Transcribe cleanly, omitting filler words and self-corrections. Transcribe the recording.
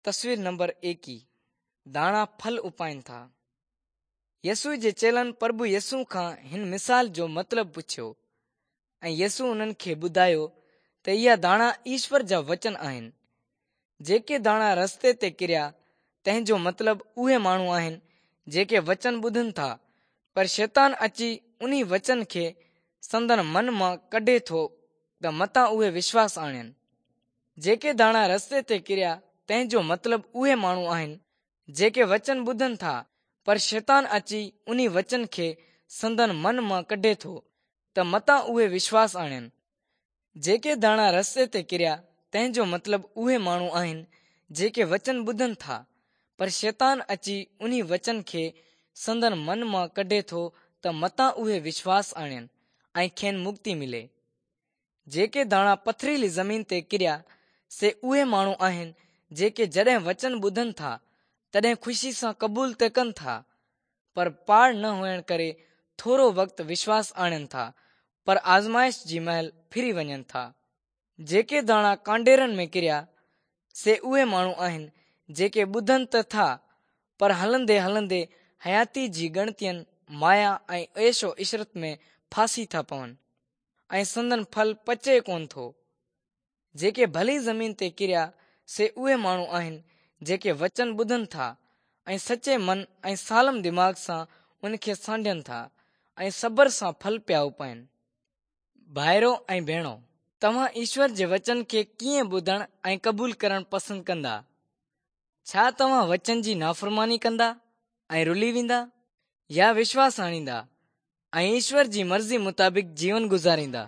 تصوير نمبر ايڪيهه، داڻا ڦل اپائن ٿا. يسوع جي چيلن پرڀو يسوع کان هن مثال جو مطلب پڇيو ۽ يسوع انهن کي ٻڌايو ته اها داڻا ايشور جا وچن آهن. جيڪي داڻا رستي تي ڪريا تنهن جو مطلب اهي ماڻهو آهن جيڪي وچن ٻڌن ٿا پر شيطان اچي انهي وچن کي سندن من مان ڪڍي ٿو ته متان اهي وشواس آڻين. جيڪي داڻا رستي تي ڪريا تنهن جو مطلب اهي ماڻهو آهن جيڪي وچن ٻڌن ٿا پر شيطان اچي انهي وچن کي سندن من مان ڪڍي ٿو ته متان اهي وشواس آڻين. جيڪي داڻا رستي تي ڪريا تنهن جو مطلب اهي ماڻهو آهن جيڪي وچن ٻڌن ٿا پر شيطان اچي انهي وچن کي سندن من مان ڪڍي ٿو ته متان اهي وشواس آڻين ۽ کين مڪتي ملي. جيڪي داڻا پٿريلي زمين تي ڪريا، سي اهي ماڻهو آهن، جيڪي جڏهن وچن ٻڌن ٿا، تڏهن خوشي سان قبول ته ڪن ٿا، پر پاڙ نه هئڻ ڪري ٿورو وقت وشواس آڻين ٿا، پر آزمائش جي مهل ڦري وڃن ٿا. جيڪي داڻا ڪانڊيرن ۾ ڪريا، سي اهي ماڻهو آهن، جيڪي ٻڌن ته ٿا، پر هلندي هلندي حياتي جي ڳڻتين، مايا ۽ عيش و عشرت ۾ ڦاسي ٿا پون. ۽ سندن ڦل پچي ڪونه ٿو. جيڪي ڀلي زمين تي ڪريا سي اهي ماڻهو آهن جيڪي وچن ٻڌن ٿا ۽ سچي من ۽ سالم دماغ سان ان کي سانڍين ٿا ۽ صبر سان ڦل پيا اپائين. ڀائرو ۽ ڀيڻو! توهان ايشور جي وچن کي ڪيئن ٻڌڻ ۽ قبول ڪرڻ پسند ڪندا؟ ڇا توهان وچن جي نافرماني ڪندا ۽ رلي ويندا يا وشواس آڻيندا ۽ ايشور جي مرضي مطابق جيون گذاريندا؟